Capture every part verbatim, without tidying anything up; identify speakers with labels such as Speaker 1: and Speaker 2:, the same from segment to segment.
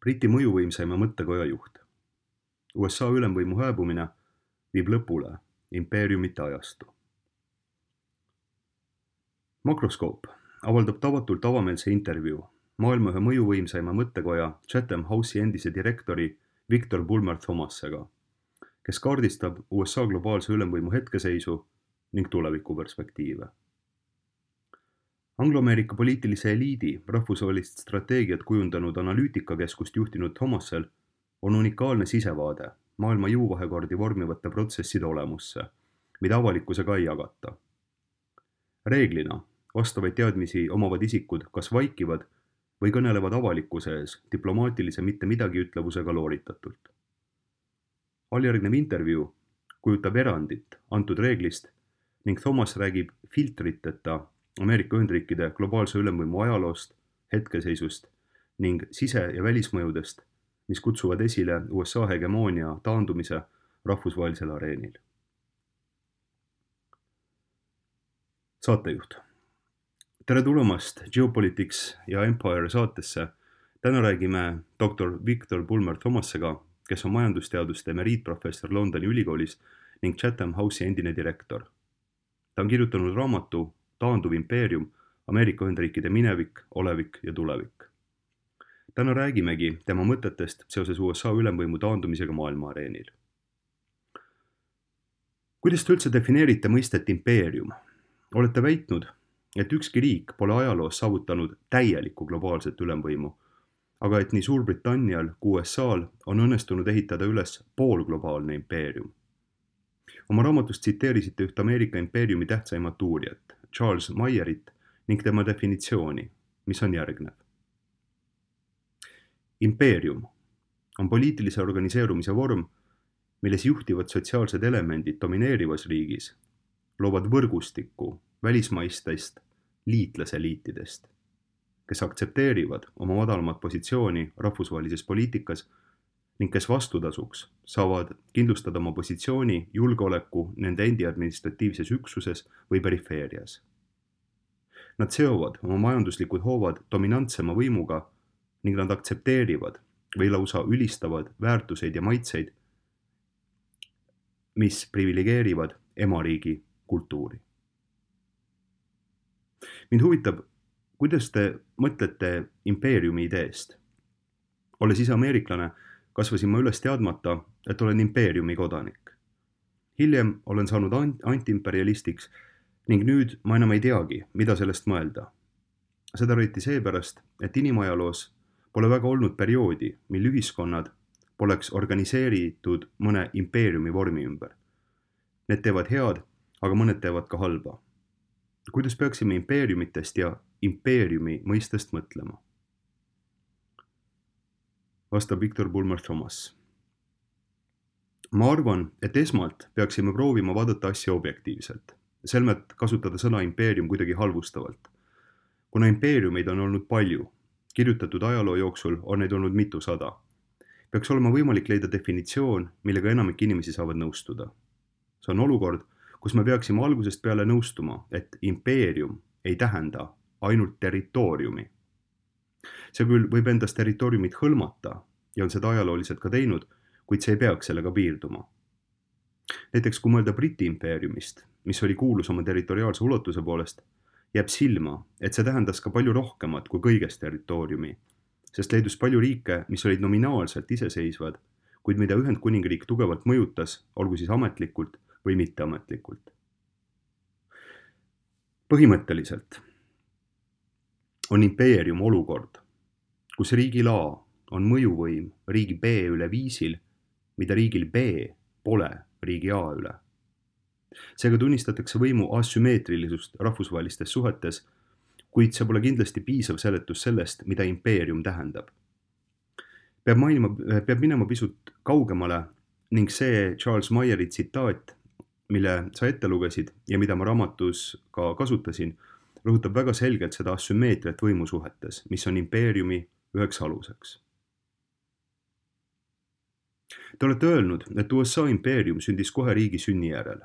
Speaker 1: Briti mõjuvõimsaima mõttekoja juht. U S A ülemvõimu hääbumine viib lõpule impeeriumite ajastu. Makroskoop avaldab tavatult avameelse intervjuu maailma ühe mõjuvõimsaima mõttekoja Chatham House'i endise direktori Victor Bulmer Thomasega, kes kaardistab U S A globaalse ülemvõimu hetkeseisu ning tulevikuperspektiive. Anglo-Ameerika poliitilise eliidi rahvusvahelist strateegiat kujundanud analüütikakeskust juhtinud Thomasel on unikaalne sisevaade maailma jõuvahekordi vormivate protsesside olemusse, mida avalikkusega ei jagata. Reeglina vastavaid teadmisi omavad isikud kas vaikivad või kõnelevad avalikkuse ees diplomaatilise mitte midagi ütlevusega looritatult. Alljärgnev intervjuu kujutab erandit antud reeglist ning Thomas räägib filtriteta Ameerika Ühendriikide globaalse ülemvõimu ajaloost, hetkeseisust ning sise- ja välismõjudest, mis kutsuvad esile U S A hegemoonia taandumise rahvusvahelisel areenil. Saatejuht. Tere tulemast Geopolitics ja Empire saatesse. Täna räägime doktor Victor Bulmer Thomasega, kes on majandusteaduste emeriitprofessor Londoni ülikoolis ning Chatham House'i endine direktor. Ta on kirjutanud raamatu Taanduv impeerium, Ameerika Ühendriikide minevik, olevik ja tulevik. Täna räägimegi tema mõtetest seoses U S A ülemvõimu taandumisega maailma areenil. Kuidas te üldse defineerite mõistet impeerium? Olete väitnud, et ükski riik pole ajaloos saavutanud täielikku globaalset ülemvõimu, aga et nii Suurbritannial kui U S A-l on õnnestunud ehitada üles poolglobaalne impeerium. Oma raamatus tsiteerisite üht Ameerika impeeriumi tähtsaimat uurijat, Charles Mayerit, ning tema definitsiooni, mis on järgnev. Impeerium on poliitilise organiseerumise vorm, milles juhtivad sotsiaalsed elemendid domineerivas riigis loovad võrgustikku välismaistest liitlaseliitidest, kes aktsepteerivad oma madalamat positsiooni rahvusvahelises poliitikas ning kes vastutasuks saavad kindlustada oma positsiooni julgeoleku nende endi administratiivses üksuses või perifeerias. Nad seovad oma majanduslikud hoovad dominantsema võimuga ning nad aktsepteerivad või lausa ülistavad väärtuseid ja maitseid, mis privilegeerivad emariigi kultuuri. Mind huvitab, kuidas te mõtlete impeeriumi ideest? Olles ise ameeriklane, kasvasin ma üles teadmata, et olen impeeriumi kodanik. Hiljem olen saanud antiimperialistiks ning nüüd ma enam ei teagi, mida sellest mõelda. Seda rõiti seepärast, et inimajaloos pole väga olnud perioodi, mil ühiskonnad poleks organiseeritud mõne impeeriumi vormi ümber. Need teevad head, aga mõned teevad ka halba. Kuidas peaksime impeeriumitest ja impeeriumi mõistest mõtlema? Vastab Victor Bulmer Thomas. Ma arvan, et esmalt peaksime proovima vaadata asja objektiivselt, selmet kasutada sõna impeerium kuidagi halvustavalt. Kuna impeeriumeid on olnud palju, kirjutatud ajaloo jooksul on neid olnud mitusada, peaks olema võimalik leida definitsioon, millega enamik inimesi saavad nõustuda. See on olukord, kus me peaksime algusest peale nõustuma, et impeerium ei tähenda ainult territooriumi. See küll võib endast territooriumit hõlmata ja on seda ajalooliselt ka teinud, kuid see ei peaks sellega piirduma. Näiteks kui mõelda Briti impeeriumist, mis oli kuulus oma territoriaalse ulatuse poolest, jääb silma, et see tähendas ka palju rohkemat kui kõigest territooriumi, sest leidus palju riike, mis olid nominaalselt iseseisvad, kuid mida Ühendkuningriik tugevalt mõjutas, olgu siis ametlikult või mitteametlikult. Põhimõtteliselt on impeerium olukord, kus riigil A on mõjuvõim riigi B üle viisil, mida riigil B pole riigi A üle. Seega tunnistatakse võimu asümmeetrilisust rahvusvahelistes suhetes, kuid see pole kindlasti piisav seletus sellest, mida impeerium tähendab. Peab, mainima, peab minema pisut kaugemale ning see Charles Mayeri tsitaat, mille sa ette lugesid ja mida ma raamatus ka kasutasin, rõhutab väga selgelt seda asümmeetriat võimusuhetes, mis on impeeriumi üheks aluseks. Te olete öelnud, et U S A impeerium sündis kohe riigi sünni järel.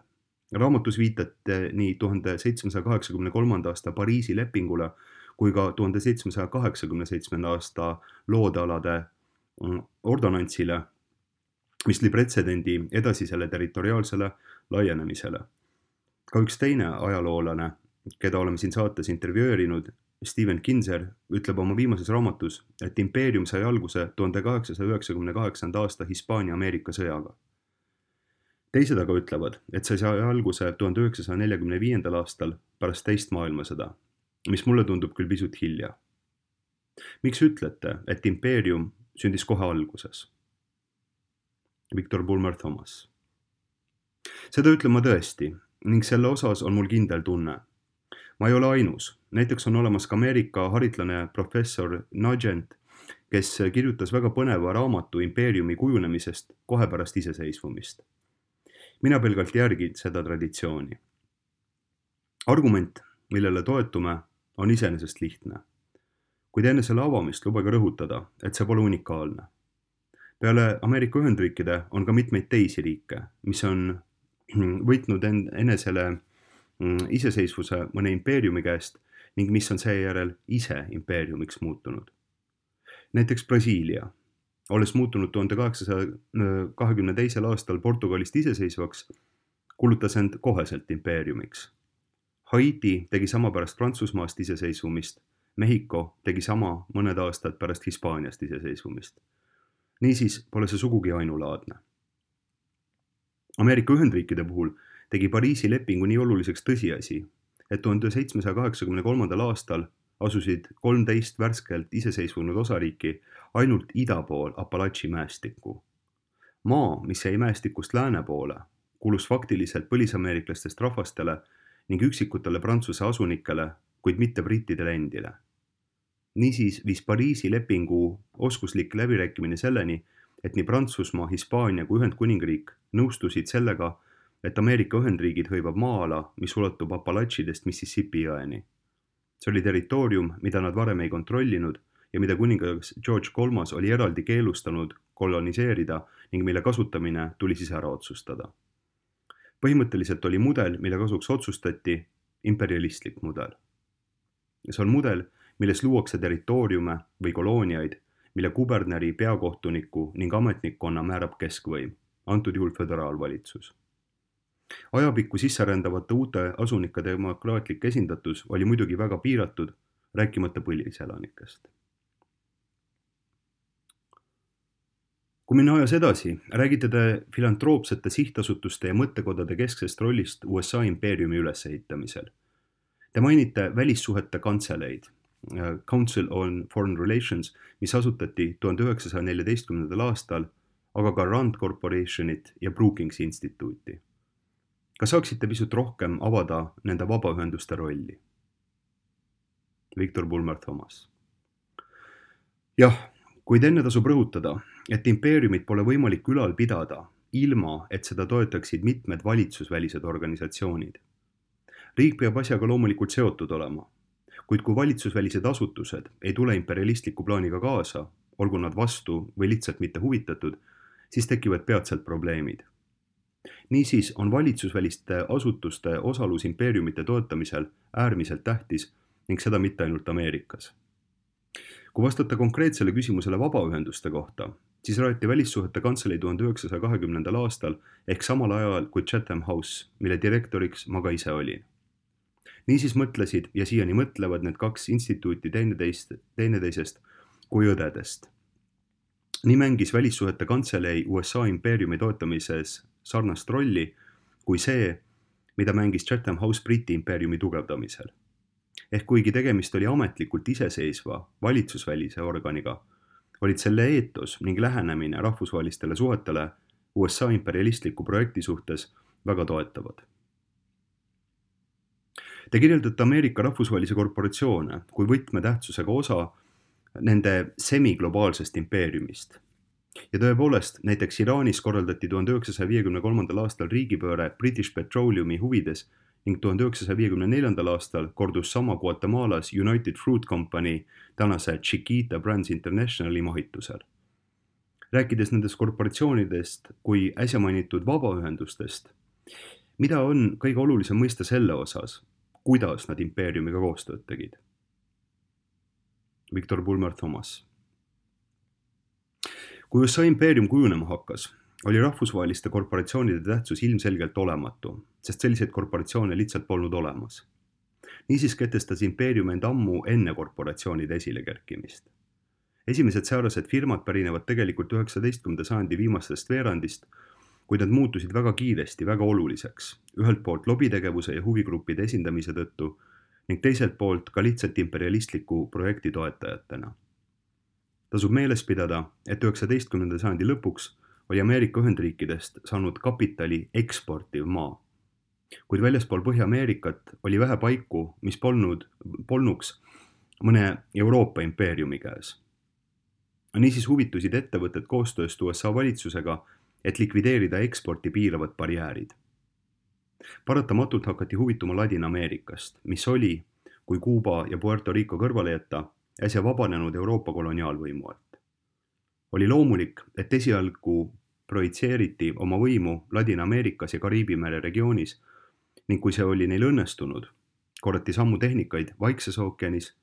Speaker 1: Raamatus viitate nii tuhande seitsmesaja kaheksakümne kolmanda aasta Pariisi lepingule kui ka tuhande seitsmesaja kaheksakümne seitsmenda aasta loodealade ordonantsile, mis lõi pretsedendi edasisele territoriaalsele laienemisele. Ka üks teine ajaloolane, keda oleme siin saates intervjueerinud, Steven Kinzer, ütleb oma viimases raamatus, et impeerium sai alguse tuhande kaheksasaja üheksakümne kaheksanda aasta Hispaania-Ameerika sõjaga. Teised aga ütlevad, et see sai alguse tuhande üheksasaja neljakümne viiendal aastal pärast teist maailmasõda, mis mulle tundub küll pisut hilja. Miks ütlete, et impeerium sündis kohe alguses? Victor Bulmer Thomas. Seda ütlen ma tõesti ning selle osas on mul kindel tunne. Ma ei ole ainus. Näiteks on olemas ka Ameerika haritlane professor Nugent, kes kirjutas väga põneva raamatu impeeriumi kujunemisest kohe pärast iseseisvumist. Mina pelgalt järgin seda traditsiooni. Argument, millele toetume, on iseenesest lihtne. Kuid enne selle avamist lubage rõhutada, et see pole unikaalne. Peale Ameerika Ühendriikide on ka mitmeid teisi riike, mis on võitnud enesele iseseisvuse mõne impeeriumi käest ning mis on seejärel ise impeeriumiks muutunud. Näiteks Brasiilia, olles muutunud tuhande kaheksasaja kahekümne teisel aastal Portugalist iseseisvaks, kulutas end koheselt impeeriumiks. Haiti tegi sama pärast Prantsusmaast iseseisvumist, Mehhiko tegi sama mõned aastad pärast Hispaaniast iseseisvumist. Niisiis pole see sugugi ainulaadne. Ameerika Ühendriikide puhul tegi Pariisi lepingu nii oluliseks tõsiasi, et tuhande seitsmesaja kaheksakümne kolmandal aastal asusid kolmteist värskelt iseseisvunud osariiki ainult ida pool Apalachi mäestikku. Maa, mis jäi mäestikust lääne poole, kuulus faktiliselt põlisameeriklastest rahvastele ning üksikutele Prantsuse asunikele, kuid mitte brittidele endile. Niisiis viis Pariisi lepingu oskuslik läbirääkimine selleni, et nii Prantsusmaa, Hispaania kui Ühendkuningriik nõustusid sellega, et Ameerika Ühendriigid hõivab maa-ala, mis ulatub Apalachidest Mississippi jõeni. See oli territoorium, mida nad varem ei kontrollinud ja mida kuningas George kolmas oli eraldi keelustanud koloniseerida ning mille kasutamine tuli siis ära otsustada. Põhimõtteliselt oli mudel, mille kasuks otsustati, imperialistlik mudel. See on mudel, milles luuakse territooriume või kolooniaid, mille kuberneri, peakohtuniku ning ametnikkonna määrab keskvõim, antud juhul föderaalvalitsus. Ajapikku sisserändavate uute asunike demokraatlik esindatus oli muidugi väga piiratud, rääkimata põliselanikest. Kui minna ajas edasi, räägite te filantroopsete sihtasutuste ja mõttekodade kesksest rollist U S A impeeriumi ülesehitamisel. Te mainite välissuhete kantseleid, Council on Foreign Relations, mis asutati tuhande üheksasaja neljateistkümnendal aastal, aga ka Rand Corporationit ja Brookings instituuti. Kas saaksite pisut rohkem avada nende vabaühenduste rolli? Victor Bulmer Thomas. Jah, kuid enne tasub rõhutada, et impeeriumit pole võimalik ülal pidada, ilma et seda toetaksid mitmed valitsusvälised organisatsioonid. Riik peab asjaga loomulikult seotud olema, kuid kui valitsusvälised asutused ei tule imperialistliku plaaniga kaasa, olgu nad vastu või lihtsalt mitte huvitatud, siis tekivad peatselt probleemid. Niisiis on valitsusväliste asutuste osalus impeeriumite toetamisel äärmiselt tähtis ning seda mitte ainult Ameerikas. Kui vastata konkreetsele küsimusele vabaühenduste kohta, siis rajati välissuhete kantselei tuhande üheksasaja kahekümnendal aastal ehk samal ajal kui Chatham House, mille direktoriks ma ka ise olin. Niisiis mõtlesid ja siiani mõtlevad need kaks instituuti teineteist, teineteisest kui õdedest. Nii mängis välissuhete kantselei U S A impeeriumi toetamises sarnast rolli kui see, mida mängis Chatham House Briti impeeriumi tugevdamisel. Ehk kuigi tegemist oli ametlikult iseseisva valitsusvälise organiga, olid selle eetos ning lähenemine rahvusvahelistele suhetele U S A imperialistliku projekti suhtes väga toetavad. Te kirjeldate Ameerika rahvusvahelisi korporatsioone kui võtmetähtsusega osa nende semiglobaalsest impeeriumist. Ja tõepoolest, näiteks Iraanis korraldati tuhande üheksasaja viiekümne kolmandal aastal riigipööre British Petroleumi huvides ning tuhande üheksasaja viiekümne neljandal aastal kordus sama Guatemalas United Fruit Company tänase Chiquita Brands Internationali mahitusel. Rääkides nendest korporatsioonidest kui äsja mainitud vabaühendustest, mida on kõige olulisem mõista selle osas, kuidas nad impeeriumiga koostööd tegid? Victor Bulmer Thomas. kui U S A impeerium kujunema hakkas, oli rahvusvaheliste korporatsioonide tähtsus ilmselgelt olematu, sest selliseid korporatsioone lihtsalt polnud olemas. Niisiis kehtestas impeerium end ammu enne korporatsioonide esile kerkimist. Esimesed säärased firmad pärinevad tegelikult üheksateistkümnenda sajandi viimastest veerandist, kuid nad muutusid väga kiiresti, väga oluliseks, ühelt poolt lobitegevuse ja huvigruppide esindamise tõttu ning teiselt poolt ka lihtsalt imperialistliku projekti toetajatena. Tasub meeles pidada, et üheksateistkümnenda sajandi lõpuks oli Ameerika Ühendriikidest saanud kapitali eksportiv maa. Kuid väljaspool Põhja-Ameerikat oli vähe paiku, mis polnud, polnuks mõne Euroopa impeeriumi käes. Niisiis huvitusid ettevõtted koostööst U S A valitsusega, et likvideerida eksporti piiravad barjäärid. Paratamatult hakati huvituma Ladina-Ameerikast, mis oli, kui Kuuba ja Puerto Rico kõrvale jätta, äsja vabanenud Euroopa koloniaalvõimu alt. Oli loomulik, et esialgu projitseeriti oma võimu Ladina-Ameerikas ja Kariibi mere regioonis ning kui see oli neil õnnestunud, korrati sammu tehnikaid Vaikses ookeanis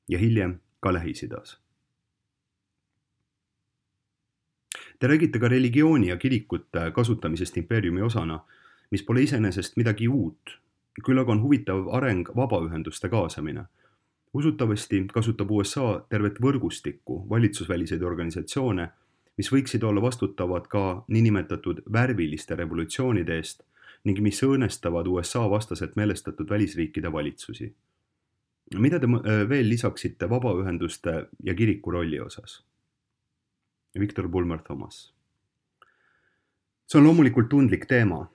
Speaker 1: ja hiljem ka Lähis-Idas. Te räägite ka religiooni ja kirikute kasutamisest impeeriumi osana, mis pole iseenesest midagi uut, küll aga on huvitav areng vabaühenduste kaasamine. Usutavasti kasutab U S A tervet võrgustikku valitsusväliseid organisatsioone, mis võiksid olla vastutavad ka niinimetatud värviliste revolutsioonide eest ning mis õõnestavad U S A vastaselt meelestatud välisriikide valitsusi. Mida te veel lisaksite vabaühenduste ja kiriku rolli osas? Victor Bulmer Thomas. See on loomulikult tundlik teema.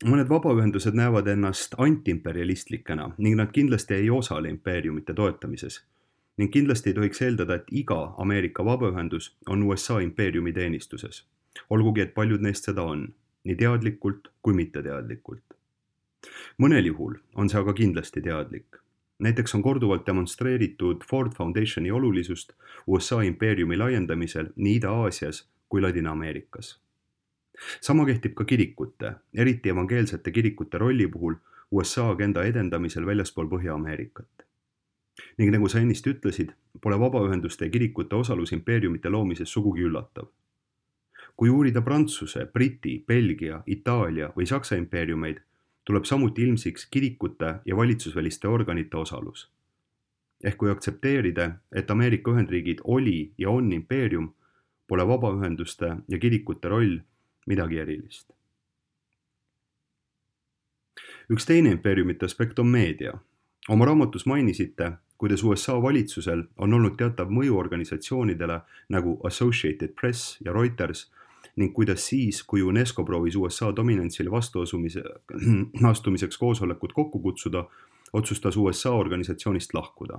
Speaker 1: Mõned vabaühendused näevad ennast antiimperialistlikena ning nad kindlasti ei osale impeeriumite toetamises. Ning kindlasti ei tohiks eeldada, et iga Ameerika vabaühendus on U S A impeeriumi teenistuses. Olgugi, et paljud neist seda on, nii teadlikult kui mitteteadlikult. Mõnel juhul on see aga kindlasti teadlik. Näiteks on korduvalt demonstreeritud Ford Foundationi olulisust U S A impeeriumi laiendamisel nii Ida-Aasias kui Ladina-Ameerikas. Sama kehtib ka kirikute, eriti evangeelsete kirikute rolli puhul U S A agenda edendamisel väljaspool Põhja-Ameerikat. Ning nagu sa ennist ütlesid, pole vabaühenduste ja kirikute osalus impeeriumite loomises sugugi üllatav. Kui uurida Prantsuse, Briti, Belgia, Itaalia või Saksa impeeriumeid, tuleb samuti ilmsiks kirikute ja valitsusväliste organite osalus. Ehk kui aktsepteerida, et Ameerika Ühendriigid oli ja on impeerium, pole vabaühenduste ja kirikute roll midagi erilist. Üks teine impeeriumite aspekt on meedia. Oma raamatus mainisite, kuidas U S A valitsusel on olnud teatav mõju organisatsioonidele nagu Associated Press ja Reuters ning kuidas siis, kui UNESCO proovis U S A dominantsile vastuastumiseks koosolekut kokku kutsuda, otsustas U S A organisatsioonist lahkuda.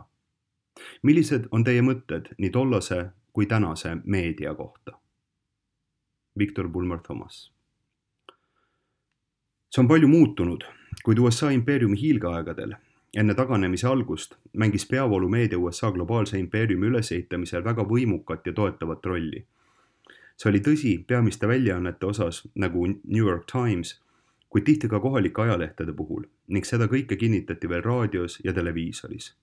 Speaker 1: Millised on teie mõtted nii tollase kui tänase meedia kohta? Victor Bulmer Thomas. See on palju muutunud, kuid U S A impeeriumi hiilgeaegadel, enne taganemise algust, mängis peavoolumeedia U S A globaalse impeeriumi ülesehitamisel väga võimukat ja toetavat rolli. See oli tõsi peamiste väljaannete osas nagu New York Times, kuid tihti ka kohalike ajalehtede puhul ning seda kõike kinnitati veel raadios ja televiisoris.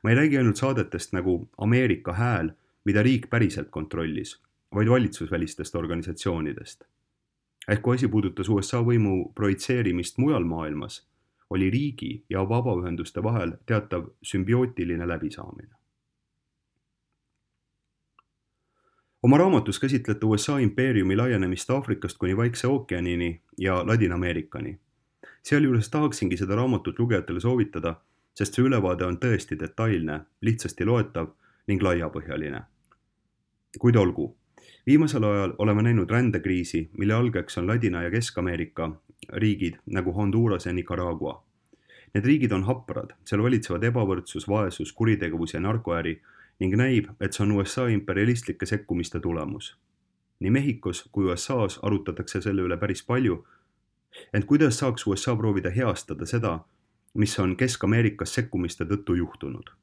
Speaker 1: Ma ei räägi ainult saadetest nagu Ameerika hääl, mida riik päriselt kontrollis, vaid valitsusvälistest organisatsioonidest. Ehk kui asi puudutas U S A võimu projitseerimist mujal maailmas, oli riigi ja vabaühenduste vahel teatav sümbiootiline läbisaamine. Oma raamatus käsitlete U S A impeeriumi laienemist Aafrikast kuni Vaikse ookeanini ja Ladina-Ameerikani. Sealjuures tahaksingi seda raamatut lugejatele soovitada, sest see ülevaade on tõesti detailne, lihtsasti loetav ning laiapõhjaline. Kuid olgu, viimasel ajal oleme näinud rändekriisi, mille algeks on Ladina- ja Kesk-Ameerika riigid nagu Honduras ja Nicaragua. Need riigid on haprad, seal valitsevad ebavõrdsus, vaesus, kuritegevus ja narkoäri ning näib, et see on U S A imperialistlike sekkumiste tulemus. Nii Mehhikos kui U S A-s arutatakse selle üle päris palju, ent kuidas saaks U S A proovida heastada seda, mis on Kesk-Ameerikas sekkumiste tõttu juhtunud?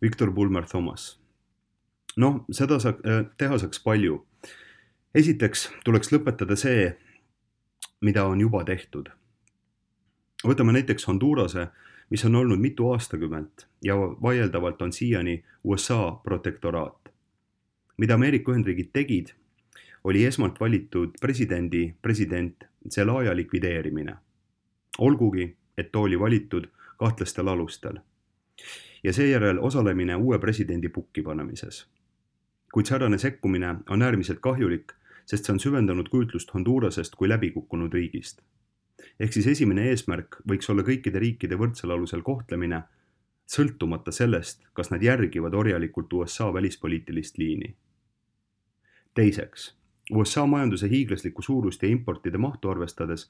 Speaker 1: Victor Bulmer Thomas. No, seda sa, teha saaks palju. Esiteks tuleks lõpetada see, mida on juba tehtud. Võtame näiteks Hondurase, mis on olnud mitu aastakümmet ja vaieldavalt on siiani U S A protektoraat. mida Ameerika Ühendriigid tegid, oli esmalt valitud presidendi president Zelaya likvideerimine. Olgugi, et too oli valitud kahtlastel alustel. Ja seejärel osalemine uue presidendi pukki panemises. Kuid säärane sekkumine on äärmiselt kahjulik, sest see on süvendanud kujutlust Hondurasest kui läbikukkunud riigist. Ehk siis esimene eesmärk võiks olla kõikide riikide võrdsel alusel kohtlemine, sõltumata sellest, kas nad järgivad orjalikult U S A välispoliitilist liini. Teiseks, U S A majanduse hiiglaslikku suurust ja importide mahtu arvestades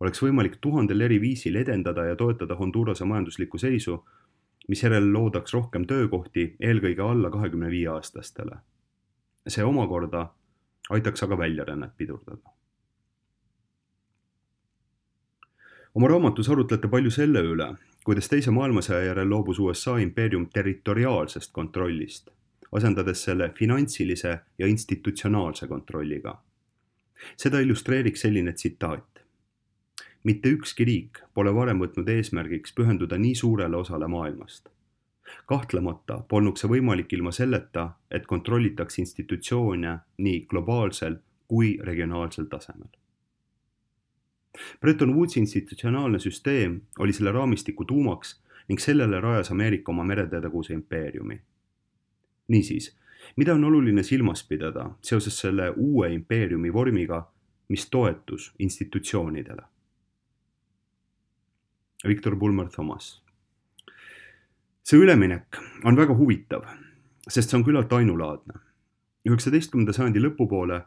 Speaker 1: oleks võimalik tuhandel eri viisil edendada ja toetada Hondurase majanduslikku seisu, mis järel loodaks rohkem töökohti eelkõige alla kahekümne viie aastastele. See omakorda aitaks aga väljarännet pidurdada. Oma raamatus arutlete palju selle üle, kuidas teise maailmasõja järel loobus U S A impeerium territoriaalsest kontrollist, asendades selle finantsilise ja institutsionaalse kontrolliga. Seda illustreeriks selline tsitaat. Mitte ükski riik pole varem võtnud eesmärgiks pühenduda nii suurele osale maailmast. Kahtlemata polnuks see võimalik ilma selleta, et kontrollitaks institutsioone nii globaalsel kui regionaalsel tasemel. Bretton Woodsi institutsionaalne süsteem oli selle raamistiku tuumaks ning sellele rajas Ameerika oma mereteedaguse impeeriumi. Niisiis, mida on oluline silmas pidada seoses selle uue impeeriumi vormiga, mis toetus institutsioonidele? Victor Bulmer Thomas. See üleminek on väga huvitav, sest see on küllalt ainulaadne. üheksateistkümnenda sajandi lõpupoole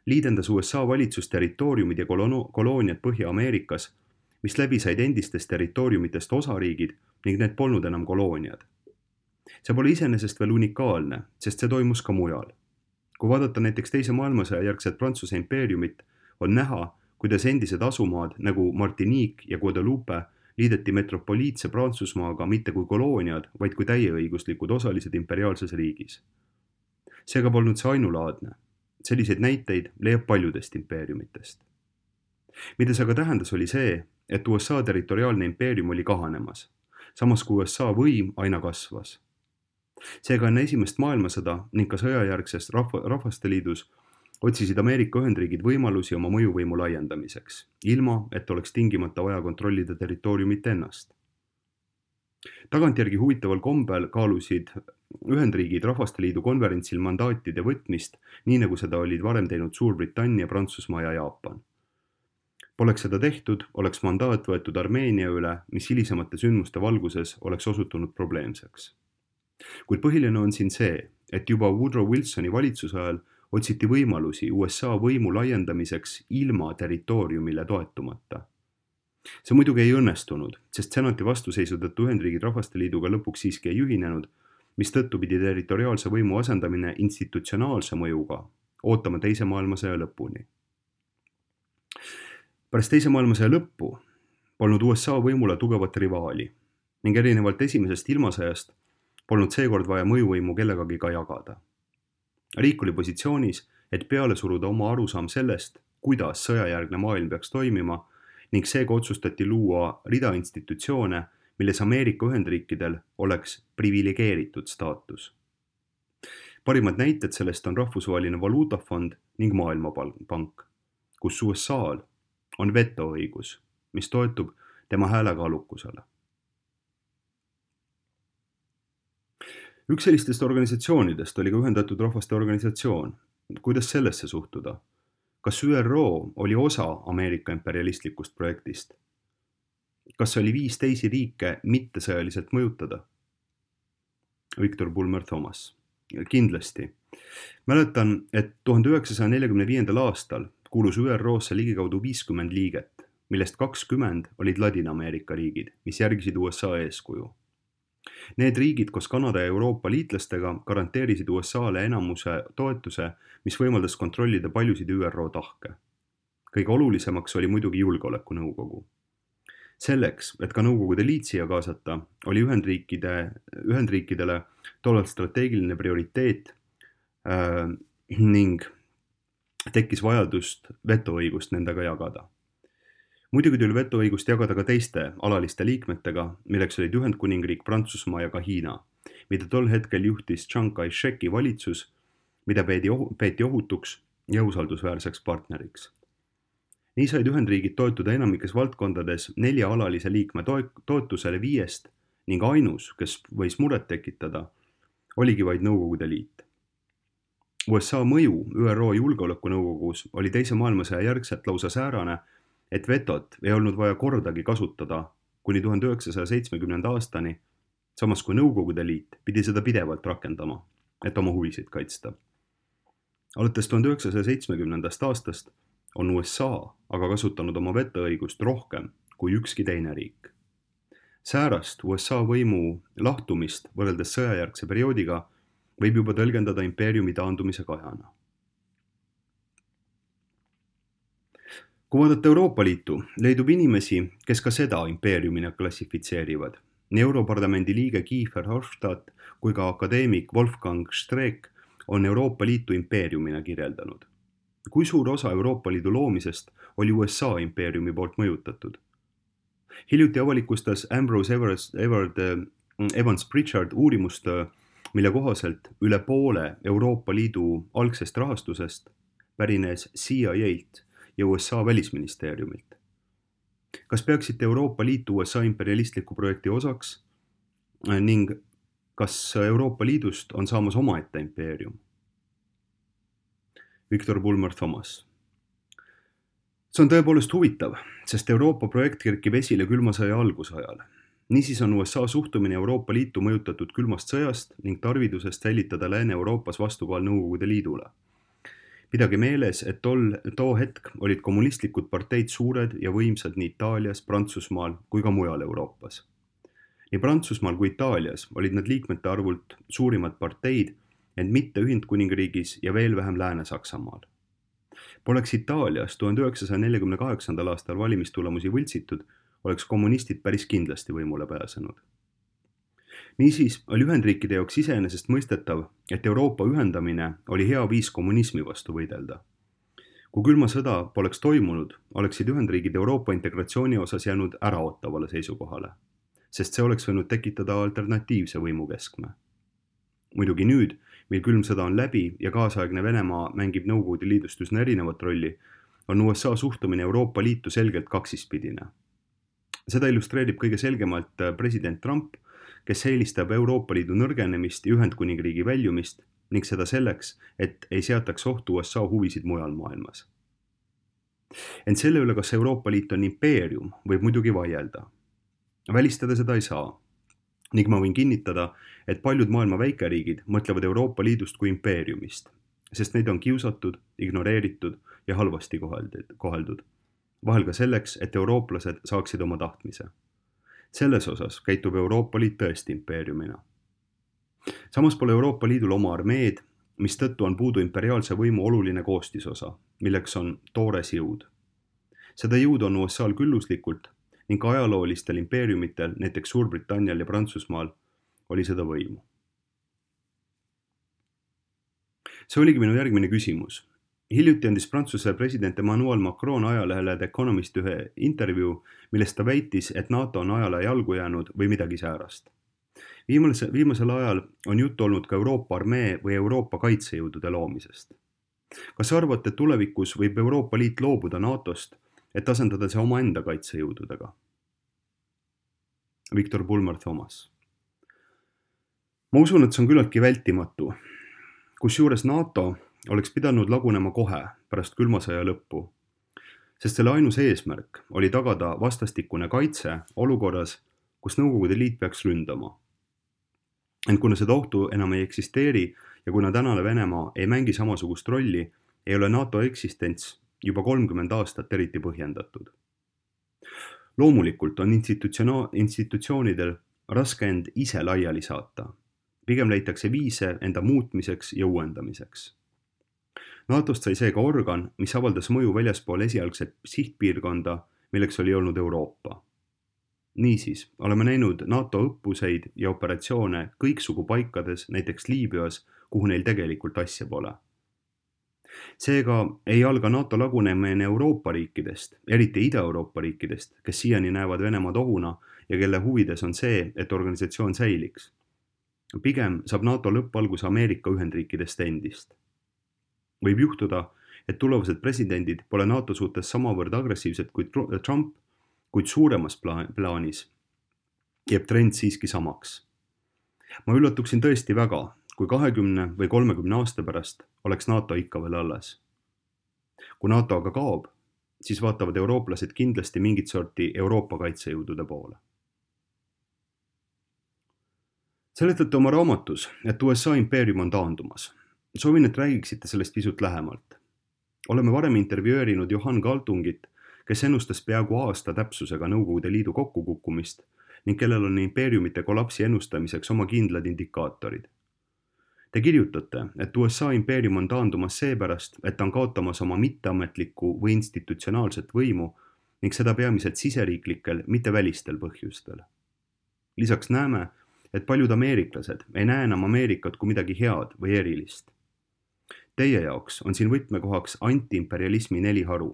Speaker 1: liidendas U S A valitsus territooriumid ja kolooniad Põhja-Ameerikas, mis läbi said endistest territooriumitest osariigid ning need polnud enam kolooniad. See pole iseenesest veel unikaalne, sest see toimus ka mujal. Kui vaadata näiteks teise maailmasõja järgset Prantsuse impeeriumit, on näha, kuidas endised asumaad nagu Martinique ja Guadeloupe liideti metropoliitse Prantsusmaaga mitte kui kolooniad, vaid kui täieõiguslikud osalised imperiaalses riigis. Seega polnud see ainulaadne. Selliseid näiteid leiab paljudest impeeriumitest. Mida see aga tähendas oli see, et U S A territoriaalne impeerium oli kahanemas, samas kui U S A võim aina kasvas. Seega enne esimest maailmasõda ning ka sõjajärgses rahva, rahvaste liidus otsisid Ameerika Ühendriigid võimalusi oma mõjuvõimu laiendamiseks, ilma et oleks tingimata vaja kontrollida territooriumit ennast. Tagantjärgi huvitaval kombel kaalusid Ühendriigid Rahvaste Liidu konverentsil mandaatide võtmist, nii nagu seda olid varem teinud Suurbritannia, Prantsusmaa ja Jaapan. Poleks seda tehtud, oleks mandaat võetud Armeenia üle, mis hilisemate sündmuste valguses oleks osutunud probleemseks. Kuid põhiline on siin see, et juba Woodrow Wilsoni valitsuse ajal otsiti võimalusi U S A võimu laiendamiseks ilma territooriumile toetumata. See muidugi ei õnnestunud, sest senati vastuseisud tõttu Ühendriigid Rahvaste Liiduga lõpuks siiski ei ühinenud, mis tõttu pidi territoriaalse võimu asendamine institutsionaalse mõjuga ootama teise maailmasõja lõpuni. Pärast teise maailmasõja lõppu polnud U S A võimule tugevat rivaali ning erinevalt esimesest ilmasõjast polnud seekord vaja mõjuvõimu kellegagi ka jagada. Riik oli positsioonis, et peale suruda oma arusaam sellest, kuidas sõjajärgne maailm peaks toimima ning seega otsustati luua rida institutsioone, milles Ameerika Ühendriikidel oleks privilegeeritud staatus. Parimad näited sellest on Rahvusvaheline Valuutafond ning Maailmapank, kus U S A-l on vetoõigus, mis toetub tema häälekaalukusele. Üks sellistest organisatsioonidest oli ka Ühendatud Rahvaste Organisatsioon. Kuidas sellesse suhtuda? Kas Ü R O oli osa Ameerika imperialistlikust projektist? Kas oli viis teisi riike mitte sõjaliselt mõjutada? Victor Bulmer Thomas. Kindlasti. Mäletan, et tuhande üheksasaja nelikümne viiendal aastal kuulus Ü R O-sse ligikaudu viiskümmend liiget, millest kakskümmend olid Ladina-Ameerika riigid, mis järgisid U S A eeskuju. Need riigid koos Kanada ja Euroopa liitlastega garanteerisid U S A-le enamuse toetuse, mis võimaldas kontrollida paljusid Ü R O tahke. Kõige olulisemaks oli muidugi julgeolekunõukogu. Selleks, et ka nõukogude liit siia kaasata, oli Ühendriikide, Ühendriikidele tollal strateegiline prioriteet äh, ning tekkis vajadust vetoõigust nendega jagada. Muidugi tuli vetoõigust jagada ka teiste alaliste liikmetega, milleks olid Ühendkuningriik, Prantsusmaa ja ka Hiina, mida tol hetkel juhtis Chiang Kai-sheki valitsus mida peeti, peeti ohutuks ja usaldusväärseks partneriks. nii said Ühendriigid toetuda enamikes valdkondades nelja alalise liikme toetusele viiest ning ainus, kes võis muret tekitada, oligi vaid Nõukogude Liit. U S A mõju Ü R O Julgeolekunõukogus oli teise maailmasõja järgselt lausa säärane, et vetot ei olnud vaja kordagi kasutada kuni tuhande üheksasaja seitsmekümnenda aastani, samas kui Nõukogude Liit pidi seda pidevalt rakendama, et oma huvisid kaitsta. Alates tuhande üheksasaja seitsmekümnendast aastast on U S A aga kasutanud oma vetoõigust rohkem kui ükski teine riik. Säärast U S A võimu lahtumist võrreldes sõjajärgse perioodiga võib juba tõlgendada impeeriumi taandumise kahjana. Kui vaadata Euroopa Liitu, leidub inimesi, kes ka seda impeeriumina klassifitseerivad. Nii Europarlamendi liige Kiefer Hofstadt kui ka akadeemik Wolfgang Streeck on Euroopa Liitu impeeriumina kirjeldanud. Kui suur osa Euroopa Liidu loomisest oli U S A impeeriumi poolt mõjutatud? Hiljuti avalikustas Ambrose Everett Evans Pritchard uurimustöö, mille kohaselt üle poole Euroopa Liidu algsest rahastusest pärines C I A-lt ja U S A välisministeeriumilt. Kas peaksite Euroopa Liitu U S A imperialistliku projekti osaks ning kas Euroopa Liidust on saamas omaette impeerium? Victor Bulmer Thomas. See on tõepoolest huvitav, sest Euroopa projekt kerkib esile külma sõja algusajal. Niisiis on U S A suhtumine Euroopa Liitu mõjutatud külmast sõjast ning tarvidusest säilitada Lääne-Euroopas vastukaal Nõukogude Liidule. Pidage meeles, et tol, too hetk olid kommunistlikud parteid suured ja võimsad nii Itaalias, Prantsusmaal kui ka mujal Euroopas. Nii Prantsusmaal kui Itaalias olid nad liikmete arvult suurimad parteid, ent mitte Ühendkuningriigis ja veel vähem Lääne-Saksamaal. Poleks Itaalias tuhande üheksasaja nelikümne kaheksandal aastal valimistulemusi võltsitud, oleks kommunistid päris kindlasti võimule pääsenud. Niisiis oli Ühendriikide jaoks iseenesest mõistetav, et Euroopa ühendamine oli hea viis kommunismi vastu võidelda. Kui külma sõda poleks toimunud, oleksid Ühendriigid Euroopa integratsiooni osas jäänud äraootavale seisukohale, sest see oleks võinud tekitada alternatiivse võimukeskme. Muidugi nüüd, mil külm sõda on läbi ja kaasaegne Venemaa mängib Nõukogude Liidust üsna erinevat rolli, on U S A suhtumine Euroopa Liitu selgelt kaksispidine. Seda illustreerib kõige selgemalt president Trump, kes eelistab Euroopa Liidu nõrgenemist ja Ühendkuningriigi väljumist ning seda selleks, et ei seataks ohtu U S A huvisid mujal maailmas. Ent selle üle, kas Euroopa Liit on impeerium, võib muidugi vaielda. Välistada seda ei saa. Ning ma võin kinnitada, et paljud maailma väikeriigid mõtlevad Euroopa Liidust kui impeeriumist, sest neid on kiusatud, ignoreeritud ja halvasti koheldud. Vahel ka selleks, et eurooplased saaksid oma tahtmise. Selles osas käitub Euroopa Liit tõesti impeeriumina. Samas pole Euroopa Liidul oma armeed, mis tõttu on puudu imperiaalse võimu oluline koostisosa, milleks on toores jõud. Seda jõud on U S A-l külluslikult ning ajaloolistel impeeriumitel, näiteks Suurbritannial ja Prantsusmaal, oli seda võimu. See oligi minu järgmine küsimus. Hiljuti andis Prantsuse president Emmanuel Macron ajalehele The Economist ühe intervjuu, millest ta väitis, et NATO on ajale jalgu jäänud või midagi säärast. Viimasel, viimasel ajal on juttu olnud ka Euroopa armee või Euroopa kaitsejõudude loomisest. Kas arvate, et tulevikus võib Euroopa Liit loobuda NATOst, et asendada see omaenda kaitsejõududega? Victor Bulmer Thomas. Ma usun, et see on küllaltki vältimatu, kusjuures NATO oleks pidanud lagunema kohe pärast külmasõja lõppu, sest selle ainus eesmärk oli tagada vastastikune kaitse olukorras, kus Nõukogude Liit peaks ründama. Ent kuna seda ohtu enam ei eksisteeri ja kuna tänane Venemaa ei mängi samasugust rolli, ei ole NATO eksistents juba kolmkümmend aastat eriti põhjendatud. Loomulikult on institutsioonidel raske end ise laiali saata. Pigem leitakse viise enda muutmiseks ja uuendamiseks. NATOst sai seega organ, mis avaldas mõju väljaspool esialgset sihtpiirkonda, milleks oli olnud Euroopa. Niisiis, oleme näinud NATO õppuseid ja operatsioone kõiksugu paikades, näiteks Liibüas, kuhu neil tegelikult asja pole. Seega ei alga NATO lagunemine Euroopa riikidest, eriti Ida-Euroopa riikidest, kes siiani näevad Venemaad ohuna ja kelle huvides on see, et organisatsioon säiliks. Pigem saab NATO lõppalgus Ameerika Ühendriikidest endist. võib juhtuda, et tulevased presidendid pole NATO suhtes samavõrd agressiivsed kui Trump, kuid suuremas plaanis jääb trend siiski samaks. Ma üllatuksin tõesti väga, kui kahekümne või kolmekümne aasta pärast oleks NATO ikka veel alles. Kui NATO aga kaob, siis vaatavad eurooplased kindlasti mingit sorti Euroopa kaitsejõudude poole. Seletate oma raamatus, et U S A impeerium on taandumas. Soovin, et räägiksite sellest pisut lähemalt. Oleme varem intervjueerinud Johan Galtungit, kes ennustas peaaegu aasta täpsusega Nõukogude Liidu kokkukukkumist ning kellel on impeeriumite kollapsi ennustamiseks oma kindlad indikaatorid. Te kirjutate, et U S A impeerium on taandumas seepärast, et ta on kaotamas oma mitteametlikku või institutsionaalset võimu ning seda peamiselt siseriiklikel, mitte välistel põhjustel. Lisaks näeme, et paljud ameeriklased ei näe enam Ameerikat kui midagi head või erilist. Teie jaoks on siin võtmekohaks antiimperialismi neli haru.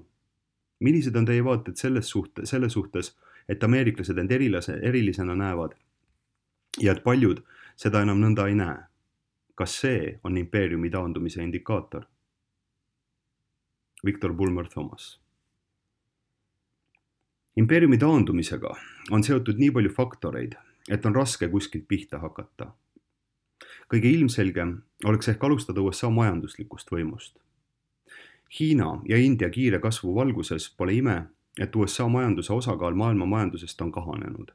Speaker 1: Millised on teie vaated selles suhte, selle suhtes, et ameeriklased end erilase, erilisena näevad ja et paljud seda enam nõnda ei näe? Kas see on impeeriumi taandumise indikaator? Victor Bulmer Thomas. Impeeriumi taandumisega on seotud nii palju faktoreid, et on raske kuskilt pihta hakata. Kõige ilmselgem oleks ehk alustada U S A majanduslikust võimust. Hiina ja India kiire kasvu valguses pole ime, et U S A majanduse osakaal maailma majandusest on kahanenud.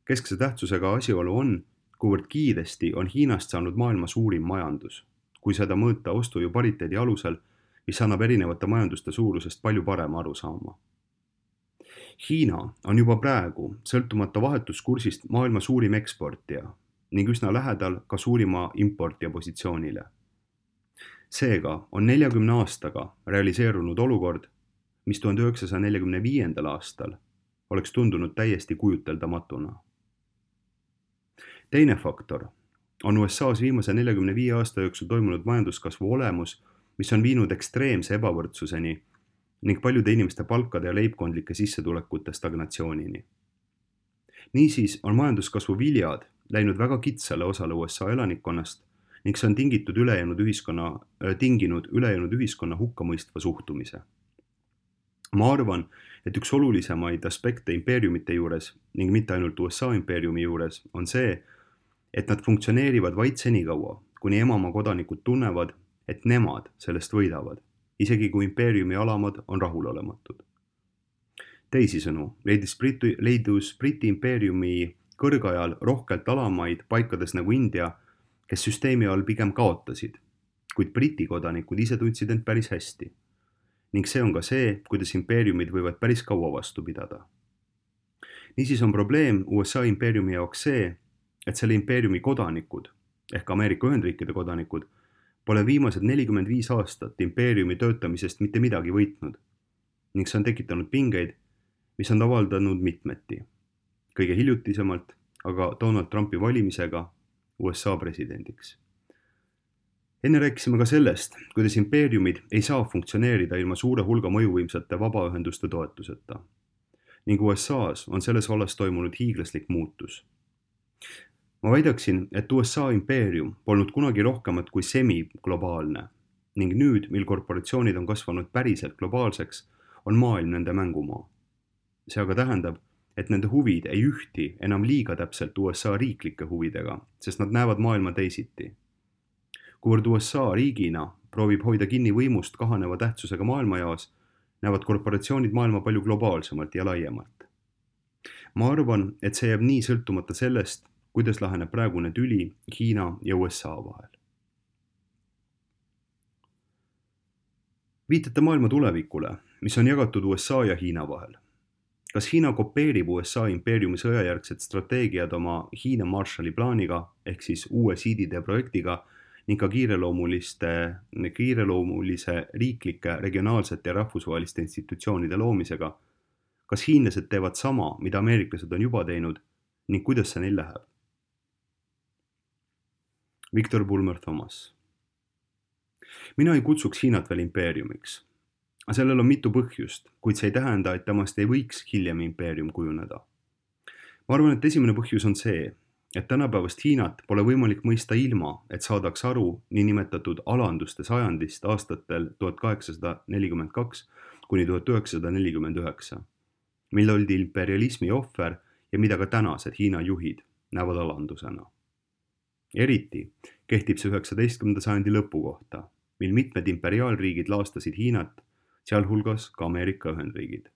Speaker 1: Keskse tähtsusega asjaolu on, kuivõrd kiiresti on Hiinast saanud maailma suurim majandus, kui seda mõõta ostujõu pariteedi alusel, mis annab erinevate majanduste suurusest palju parema aru saama. Hiina on juba praegu, sõltumata vahetuskursist, maailma suurim eksportija ning üsna lähedal ka suurima importija positsioonile. Seega on neljakümne aastaga realiseerunud olukord, mis tuhande üheksasaja neljakümne viiendal aastal oleks tundunud täiesti kujuteldamatuna. Teine faktor on U S A-s viimase neljakümne viie aasta jooksul toimunud majanduskasvu olemus, mis on viinud ekstreemse ebavõrdsuseni ning paljude inimeste palkade ja leibkondlike sissetulekute stagnatsioonini. Niisiis on majanduskasvu viljad läinud väga kitsale osale U S A elanikkonnast ning see on tingitud ülejäänud ühiskonna, tinginud ülejäänud ühiskonna hukkamõistva suhtumise. Ma arvan, et üks olulisemaid aspekte impeeriumite juures ning mitte ainult U S A impeeriumi juures on see, et nad funktsioneerivad vaid senikaua, kuni emamaa kodanikud tunnevad, et nemad sellest võidavad, isegi kui impeeriumi alamad on rahulolematud. Teisisõnu, leidis Briti, leidus Briti impeeriumi kõrgajal rohkelt alamaid paikades nagu India, kes süsteemi all pigem kaotasid, kuid Briti kodanikud ise tundsid end päris hästi. Ning see on ka see, kuidas impeeriumid võivad päris kaua vastu pidada. Niisiis on probleem U S A impeeriumi jaoks see, et selle impeeriumi kodanikud, ehk Ameerika Ühendriikide kodanikud, pole viimased nelikümmend viis aastat impeeriumi töötamisest mitte midagi võitnud ning see on tekitanud pingeid, mis on avaldanud mitmeti. Kõige hiljutisemalt aga Donald Trumpi valimisega U S A presidendiks. Enne rääkisime ka sellest, kuidas impeeriumid ei saa funktsioneerida ilma suure hulga mõjuvõimsate vabaühenduste toetuseta. Ning U S A-s on selles vallas toimunud hiiglaslik muutus. Ma väidaksin, et U S A impeerium polnud kunagi rohkemat kui semi-globaalne ning nüüd, mil korporatsioonid on kasvanud päriselt globaalseks, on maailm nende mängumaa. See aga tähendab, et nende huvid ei ühti enam liiga täpselt U S A riiklike huvidega, sest nad näevad maailma teisiti. Kuivõrd U S A riigina proovib hoida kinni võimust kahaneva tähtsusega maailmajaos, näevad korporatsioonid maailma palju globaalsemalt ja laiemalt. Ma arvan, et see jääb nii sõltumata sellest, kuidas laheneb praegune tüli Hiina ja U S A vahel. Viitate maailma tulevikule, mis on jagatud U S A ja Hiina vahel. Kas Hiina kopeerib U S A impeeriumi sõjajärgsed strateegiad oma Hiina Marshalli plaaniga ehk siis uue siidide projektiga ning ka kiireloomuliste, kiireloomulise riiklike, regionaalsete ja rahvusvaheliste institutsioonide loomisega? Kas hiinlased teevad sama, mida ameeriklased on juba teinud ning kuidas see neil läheb? Victor Bulmer Thomas. Mina ei kutsuks Hiinat veel impeeriumiks. Sellel on mitu põhjust, kuid see ei tähenda, et temast ei võiks hiljem impeerium kujuneda. Ma arvan, et esimene põhjus on see, et tänapäevast Hiinat pole võimalik mõista ilma, et saadaks aru niinimetatud alanduste sajandist aastatel tuhat kaheksasada nelikümmend kaks kuni tuhat üheksasada nelikümmend üheksa, mil oldi imperialismi ohver ja mida ka tänased Hiina juhid näevad alandusena. Eriti kehtib see üheksateistkümnenda sajandi lõpu kohta, mil mitmed imperiaalriigid laastasid Hiinat, sealhulgas ka Ameerika Ühendriigid.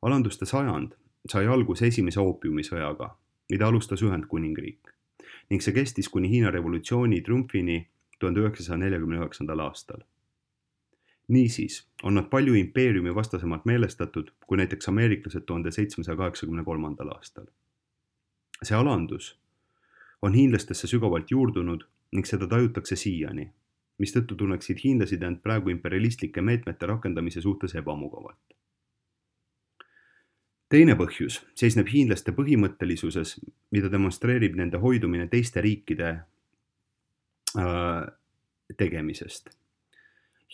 Speaker 1: Alanduste sajand sai alguse esimese oopiumisõjaga, mida alustas Ühendkuningriik, ning see kestis kuni Hiina revolutsiooni triumfini tuhande üheksasaja neljakümne üheksandal aastal. Niisiis on nad palju impeeriumi vastasemalt meelestatud kui näiteks ameeriklased tuhande seitsmesaja kaheksakümne kolmandal aastal. See alandus on hiinlastesse sügavalt juurdunud ning seda tajutakse siiani, mistõttu tunneksid hiinlased end praegu imperialistlike meetmete rakendamise suhtes ebamugavalt. Teine põhjus seisneb hiinlaste põhimõttelisuses, mida demonstreerib nende hoidumine teiste riikide äh, tegemisest.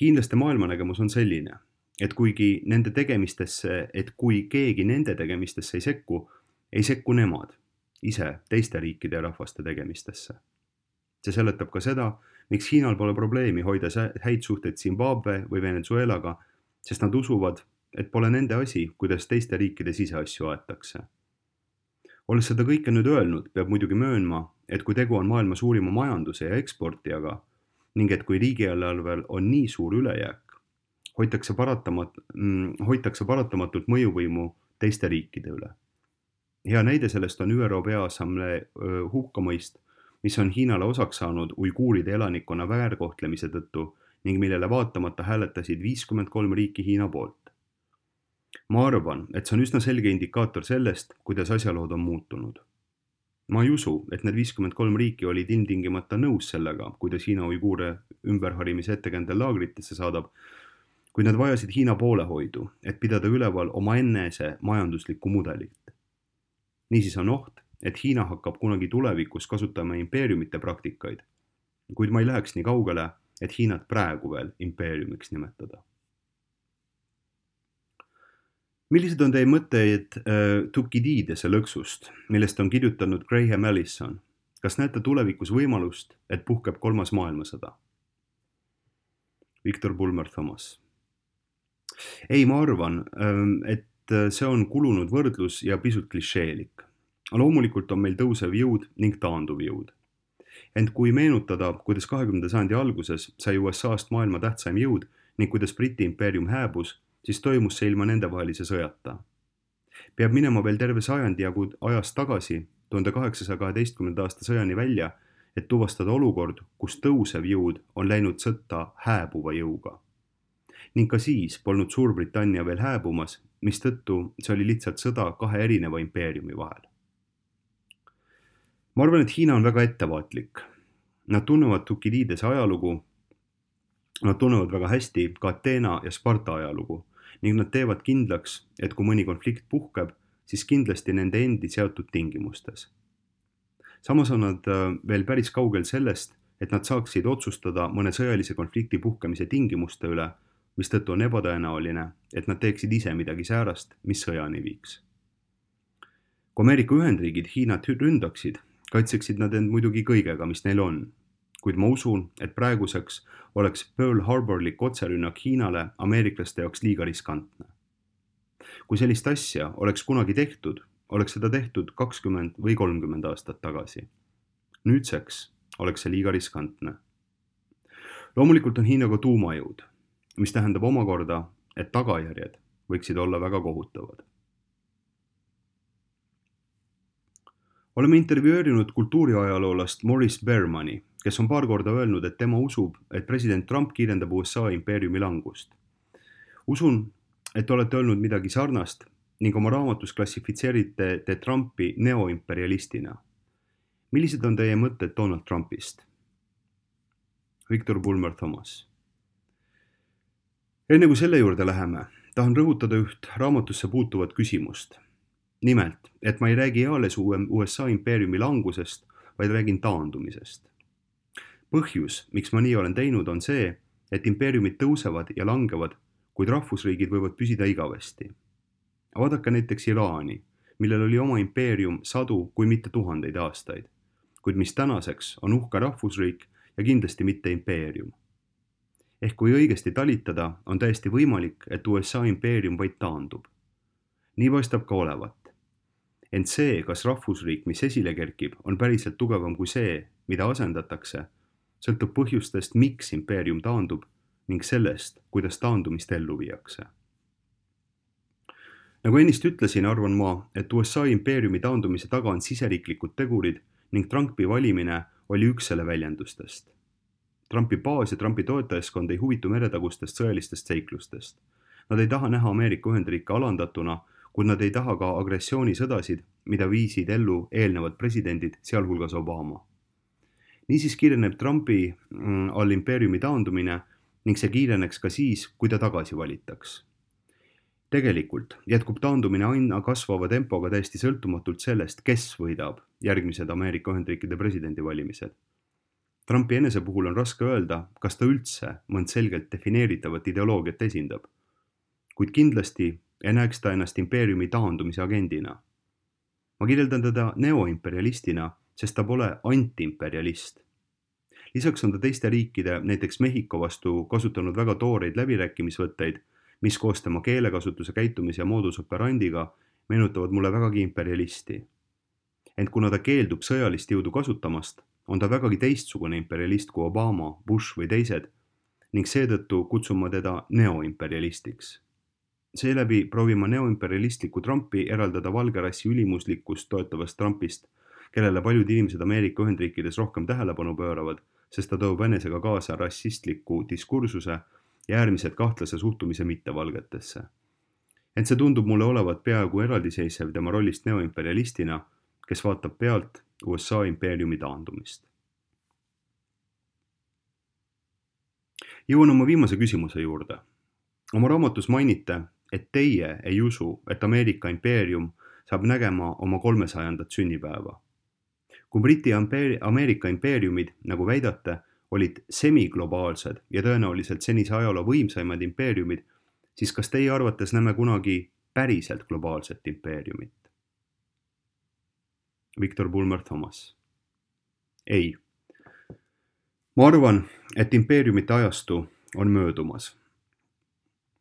Speaker 1: Hiinlaste maailmanägemus on selline, et kuigi nende tegemistesse, et kui keegi nende tegemistesse ei sekku, ei sekku nemad ise teiste riikide ja rahvaste tegemistesse. See seletab ka seda, miks Hiinal pole probleemi hoida häid suhteid Zimbabwe või Venezuelaga, sest nad usuvad, et pole nende asi, kuidas teiste riikide siseasju aetakse. Olles seda kõike nüüd öelnud, peab muidugi möönma, et kui tegu on maailma suurima majanduse ja eksportijaga ning et kui riigieelarvel on nii suur ülejääk, hoitakse, paratamat, hoitakse paratamatult mõjuvõimu teiste riikide üle. Hea näide sellest on Ü R O Peaassamblee hukkamõist, mis on Hiinale osaks saanud uiguuride elanikkonna väärkohtlemise tõttu ning millele vaatamata hääletasid viiskümmend kolm riiki Hiina poolt. Ma arvan, et see on üsna selge indikaator sellest, kuidas asjalood on muutunud. Ma ei usu, et need viiskümmend kolm riiki olid ilmtingimata nõus sellega, kuidas Hiina uiguure ümberharimise ettekäändel laagritesse saadab, kui nad vajasid Hiina poolehoidu, et pidada üleval oma ennese majanduslikku mudelit. Niisiis on oht, et Hiina hakkab kunagi tulevikus kasutama impeeriumite praktikaid, kuid ma ei läheks nii kaugele, et Hiinat praegu veel impeeriumiks nimetada. Millised on teie mõtteid äh, Thukididese lõksust, millest on kirjutanud Graham Allison? Kas näete tulevikus võimalust, et puhkeb kolmas maailmasõda? Victor Bulmer Thomas. Ei, ma arvan, et see on kulunud võrdlus ja pisut klišeelik. Loomulikult on meil tõusev jõud ning taanduv jõud. Ent kui meenutada, kuidas kahekümnenda sajandi alguses sai U S A-st maailma tähtsaim jõud ning kuidas Briti impeerium hääbus, siis toimus see ilma nendevahelise sõjata. Peab minema veel terve sajandi jagu ajast tagasi, tuhande kaheksasaja kaheteistkümnenda aasta sõjani välja, et tuvastada olukord, kus tõusev jõud on läinud sõtta hääbuva jõuga. Ning ka siis polnud Suurbritannia veel hääbumas, mistõttu see oli lihtsalt sõda kahe erineva impeeriumi vahel. Ma arvan, et Hiina on väga ettevaatlik. Nad tunnevad Thukididese ajalugu, nad tunnevad väga hästi ka Ateena ja Sparta ajalugu ning nad teevad kindlaks, et kui mõni konflikt puhkeb, siis kindlasti nende endi seatud tingimustes. Samas on nad veel päris kaugel sellest, et nad saaksid otsustada mõne sõjalise konflikti puhkemise tingimuste üle, mistõttu on ebatõenäoline, et nad teeksid ise midagi säärast, mis sõjani viiks. Kui Ameerika Ühendriigid Hiinat ründaksid, kaitseksid nad end muidugi kõigega, mis neil on, kuid ma usun, et praeguseks oleks Pearl Harborlik otserünnak Hiinale ameeriklaste jaoks liiga riskantne. Kui sellist asja oleks kunagi tehtud, oleks seda tehtud kakskümmend või kolmkümmend aastat tagasi. Nüüdseks oleks see liiga riskantne. Loomulikult on Hiinaga tuumajõud, mis tähendab omakorda, et tagajärjed võiksid olla väga kohutavad. Oleme intervjueerinud kultuuriajaloolast Maurice Bermani, kes on paar korda öelnud, et tema usub, et president Trump kiirendab U S A impeeriumi langust. Usun, et olete öelnud midagi sarnast ning oma raamatus klassifitseerite te Trumpi neoimperialistina. Millised on teie mõtted Donald Trumpist? Victor Bulmer Thomas. Enne kui selle juurde läheme, tahan rõhutada üht raamatusse puutuvat küsimust. Nimelt, et ma ei räägi eales U S A impeeriumi langusest, vaid räägin taandumisest. Põhjus, miks ma nii olen teinud, on see, et impeeriumid tõusevad ja langevad, kuid rahvusriigid võivad püsida igavesti. Vaadake näiteks Iraani, millel oli oma impeerium sadu, kui mitte tuhandeid aastaid, kuid mis tänaseks on uhke rahvusriik ja kindlasti mitte impeerium. Ehk kui õigesti talitada, on täiesti võimalik, et U S A impeerium vaid taandub. Nii paistab ka olevat. Ent see, kas rahvusriik, mis esile kerkib, on päriselt tugevam kui see, mida asendatakse, sõltub põhjustest, miks impeerium taandub ning sellest, kuidas taandumist ellu viiakse. Nagu ennist ütlesin, arvan ma, et U S A impeeriumi taandumise taga on siseriiklikud tegurid ning Trumpi valimine oli üks selle väljendustest. Trumpi baas ja Trumpi toetajaskond ei huvitu meretagustest sõjalistest seiklustest. Nad ei taha näha Ameerika Ühendriike alandatuna, kuid nad ei taha ka agressioonisõdasid, mida viisid ellu eelnevad presidendid, sealhulgas Obama. Niisiis kiireneb Trumpi all impeeriumi taandumine ning see kiireneks ka siis, kui ta tagasi valitaks. Tegelikult jätkub taandumine aina kasvava tempoga täiesti sõltumatult sellest, kes võidab järgmised Ameerika Ühendriikide presidendivalimised. Trumpi enese puhul on raske öelda, kas ta üldse mõnd selgelt defineeritavat ideoloogiat esindab, kuid kindlasti ei näeks ta ennast impeeriumi taandumise agendina. Ma kirjeldan teda neoimperialistina, sest ta pole antiimperialist. Lisaks on ta teiste riikide, näiteks Mehhiko vastu kasutanud väga tooreid läbirääkimisvõtteid, mis koos tema keelekasutuse käitumise ja modus operandiga meenutavad mulle vägagi imperialisti. Ent kuna ta keeldub sõjalist jõudu kasutamast, on ta vägagi teistsugune imperialist kui Obama, Bush või teised ning seetõttu kutsun ma teda neoimperialistiks. Seeläbi proovin ma neoimperialistliku Trumpi eraldada valgerassi ülimuslikkust toetavast Trumpist, kellele paljud inimesed Ameerika Ühendriikides rohkem tähelepanu pööravad, sest ta toob enesega kaasa rassistliku diskursuse ja äärmiselt kahtlase suhtumise mittevalgetesse. Ent see tundub mulle olevat peaaegu eraldiseisev tema rollist neoimperialistina, kes vaatab pealt U S A impeeriumi taandumist. Jõuan oma viimase küsimuse juurde. Oma raamatus mainite, et teie ei usu, et Ameerika impeerium saab nägema oma kolmesajandat sünnipäeva. Kui Briti Ameerika impeeriumid, nagu väidate, olid semiglobaalsed ja tõenäoliselt senise ajaloo võimsaimad impeeriumid, siis kas teie arvates näeme kunagi päriselt globaalset impeeriumit? Victor Bulmer Thomas. Ei. Ma arvan, et impeeriumite ajastu on möödumas.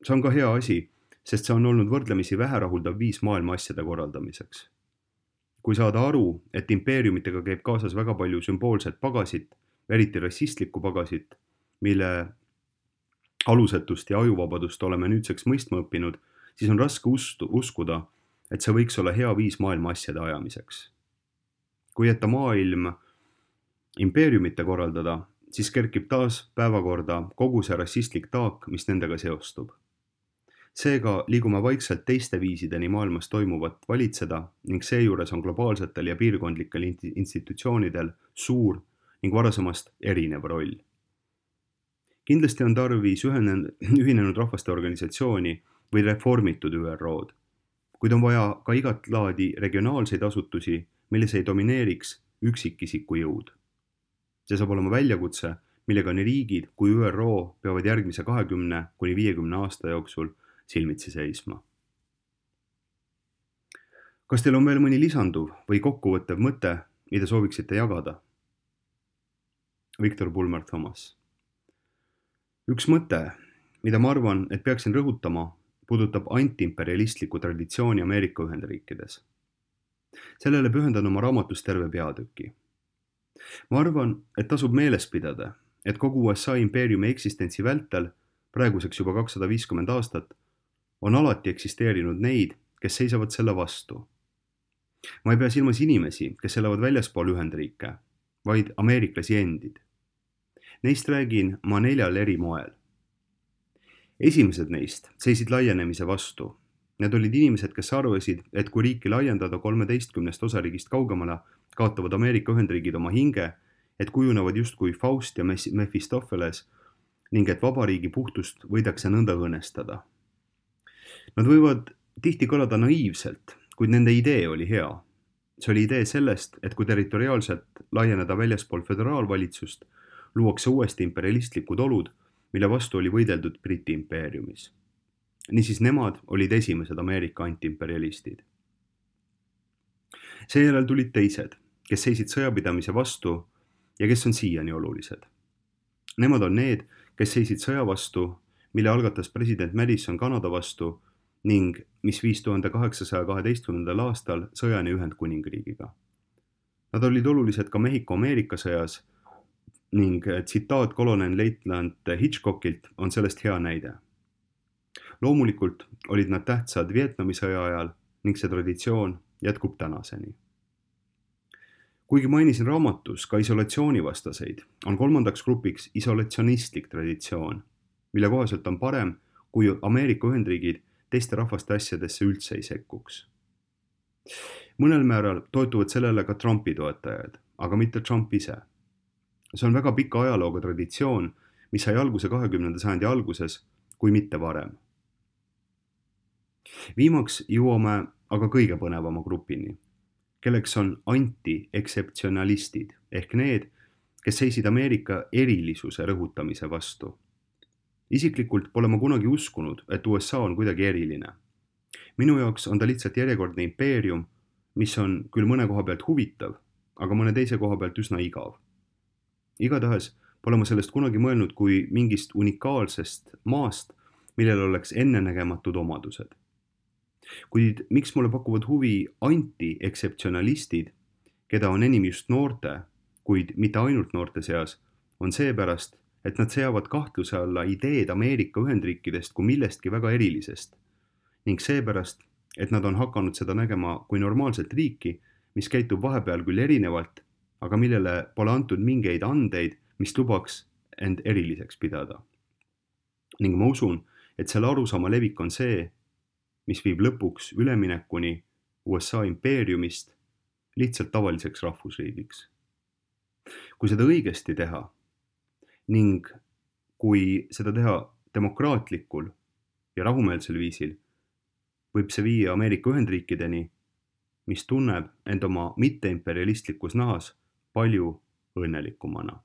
Speaker 1: See on ka hea asi, sest see on olnud võrdlemisi väherahuldav viis maailma asjade korraldamiseks. Kui saada aru, et impeeriumitega käib kaasas väga palju sümboolset pagasit, eriti rassistlikku pagasit, mille alusetust ja ajuvabadust oleme nüüdseks mõistma õppinud, siis on raske ustu, uskuda, et see võiks olla hea viis maailma asjade ajamiseks. Kui jätta maailm impeeriumite korraldada, siis kerkib taas päevakorda kogu see rassistlik taak, mis nendega seostub. Seega liigume vaikselt teiste viisideni maailmas toimuvat valitseda ning seejuures on globaalsetel ja piirkondlikel institutsioonidel suur ning varasemast erinev roll. Kindlasti on tarvis ühinenud rahvaste organisatsiooni või reformitud Ü R O-d, kuid on vaja ka igat laadi regionaalseid asutusi, milles ei domineeriks üksikisiku jõud. See saab olema väljakutse, millega nii riigid kui Ü R O peavad järgmise kahekümne kuni viiekümne aasta jooksul silmitsi seisma. Kas teil on veel mõni lisanduv või kokkuvõttev mõte, mida sooviksite jagada? Victor Bulmer Thomas. Üks mõte, mida ma arvan, et peaksin rõhutama, puudutab antiimperialistliku traditsiooni Ameerika Ühendriikides. Sellele pühendan oma raamatus terve peatüki. Ma arvan, et tasub meeles pidada, et kogu U S A impeeriumi eksistentsi vältel, praeguseks juba kakssada viiskümmend aastat, on alati eksisteerinud neid, kes seisavad selle vastu. Ma ei pea silmas inimesi, kes elavad väljaspool Ühendriike, vaid ameeriklasi endid. Neist räägin ma neljal eri moel. Esimesed neist seisid laienemise vastu. Need olid inimesed, kes arvasid, et kui riiki laiendada kolmeteistkümnest osariigist kaugemale, kaotavad Ameerika Ühendriigid oma hinge, et kujunevad justkui Faust ja Mephistopheles ning et vabariigi puhtust võidakse nõnda õõnestada. Nad võivad tihti kõlada naiivselt, kuid nende idee oli hea. See oli idee sellest, et kui territoriaalselt laieneda väljaspool föderaalvalitsust, luuakse uuesti imperialistlikud olud, mille vastu oli võideldud Briti impeeriumis. Niisiis nemad olid esimesed Ameerika antiimperialistid. seejärel tulid teised, kes seisid sõjapidamise vastu ja kes on siiani olulised. Nemad on need, kes seisid sõja vastu, mille algatas president Madison Kanada vastu ning mis viis tuhande kaheksasaja kaheteistkümnendal aastal sõjani Ühendkuningriigiga. Nad olid olulised ka Mehhiko-Ameerika sõjas ning tsitaat kolonel leitnant Hitchcockilt on sellest hea näide. Loomulikult olid nad tähtsad Vietnami sõja ajal ning see traditsioon jätkub tänaseni. Kuigi mainisin raamatus ka isolatsioonivastaseid, on kolmandaks grupiks isolatsionistlik traditsioon, mille kohaselt on parem, kui Ameerika Ühendriigid teiste rahvaste asjadesse üldse ei sekkuks. Mõnel määral toetuvad sellele ka Trumpi toetajad, aga mitte Trump ise. See on väga pika ajalooga traditsioon, mis sai alguse kahekümnenda sajandi alguses, kui mitte varem. Viimaks jõuame aga kõige põnevama grupini, kelleks on anti-ekseptsionalistid ehk need, kes seisid Ameerika erilisuse rõhutamise vastu. Isiklikult pole ma kunagi uskunud, et U S A on kuidagi eriline. Minu jaoks on ta lihtsalt järjekordne impeerium, mis on küll mõne koha pealt huvitav, aga mõne teise koha pealt üsna igav. Igatahes pole ma sellest kunagi mõelnud kui mingist unikaalsest maast, millel oleks ennenägematud omadused. Kuid miks mulle pakuvad huvi anti-ekseptsionalistid, keda on enim just noorte, kuid mitte ainult noorte seas, on seepärast, et nad seavad kahtluse alla ideed Ameerika Ühendriikidest kui millestki väga erilisest ning seepärast, et nad on hakanud seda nägema kui normaalset riiki, mis käitub vahepeal küll erinevalt, aga millele pole antud mingeid andeid, mis lubaks end eriliseks pidada. Ning ma usun, et selle arusaama levik on see, mis viib lõpuks üleminekuni U S A impeeriumist lihtsalt tavaliseks rahvusriigiks. Kui seda õigesti teha ning kui seda teha demokraatlikul ja rahumeelsel viisil, võib see viia Ameerika Ühendriikideni, mis tunneb end oma mitteimperialistlikus nahas palju õnnelikumana.